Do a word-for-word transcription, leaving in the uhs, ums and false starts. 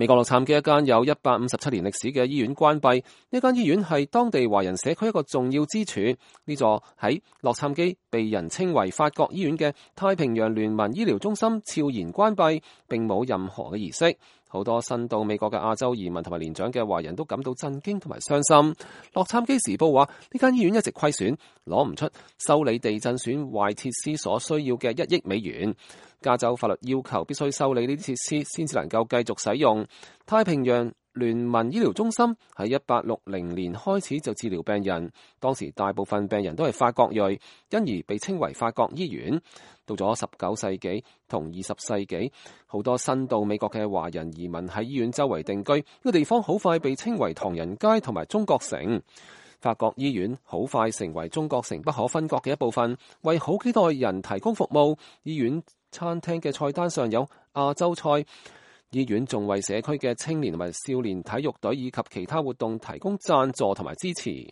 美國洛杉磯一間有一百五十七年歷史嘅醫院關閉，呢間醫院係當地華人社區一個重要支柱。呢座喺洛杉磯被人稱為法國醫院嘅太平洋聯盟醫療中心悄然關閉，並冇任何嘅儀式。好多新到美國嘅亞洲移民同埋年長嘅華人都感到震驚同埋傷心。洛杉磯時報話，呢間醫院一直虧損，攞唔出修理地震損壞設施所需要嘅一億美元。加州法律要求必須修理呢啲設施先至能夠繼續使用。太平洋聯盟醫療中心喺一八六零年開始就治療病人，當時大部分病人都係法國裔，因而被稱為法國醫院。到咗十九世紀同二十世紀，好多新到美國嘅華人移民喺醫院周圍定居，呢個地方好快被稱為唐人街同埋中國城。法國醫院好快成為中國城不可分割嘅一部分，為好幾代人提供服務。醫院餐廳嘅菜單上有亞洲菜，醫院仲為社區嘅青年同埋少年體育隊以及其他活動提供贊助同埋支持。